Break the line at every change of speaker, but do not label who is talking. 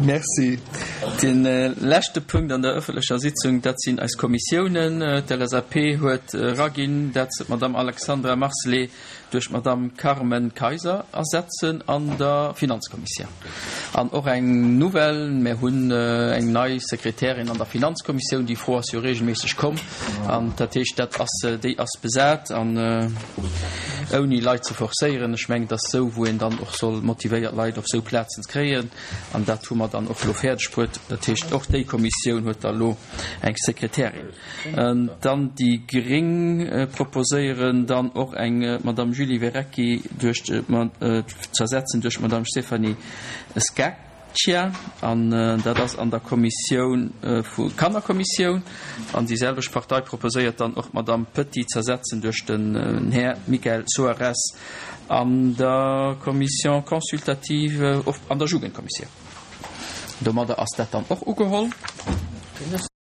Merci. De leschte Punkt an der ëffentlecher Sitzung, dat sinn eis Kommissiounen. D'LSAP huet eraginn, dat se d'Madame Alexandra Marcelet duerch d'Madame Carmen Kayser ersetzen an der Finanzkommissioun. An och eng Nouvelle, Mir hunn eng nei Sekretärin an der Finanzkommissioun. Déi Fro ass jo regelméisseg komm. An dat heescht, dat ass, déi ass besat. An ouni Leit ze forcéieren, ech mengen, et ass esou, wou een dann och soll motivéiert Leit op esou Plazen kréien. An dat hu mer dann och elo fäerdeg bruet. Dat heescht, och déi Kommissioun huet da elo eng Sekretärin. Dann déi gréng proposéieren dann och eng d'Madame Julie Verrecki duerch z'ersetzen duerch d'Madame Stéphanie Scaccia an dat ass an der Kommissioun vu Kannerkommissioun. An déi selwecht Partei proposéiert dann och d'Madame Petit z'ersetzen duerch den Här Michael Soares an der Commission consultative an der Jugendkommissioun. Domadder ass dat dann och ugeholl.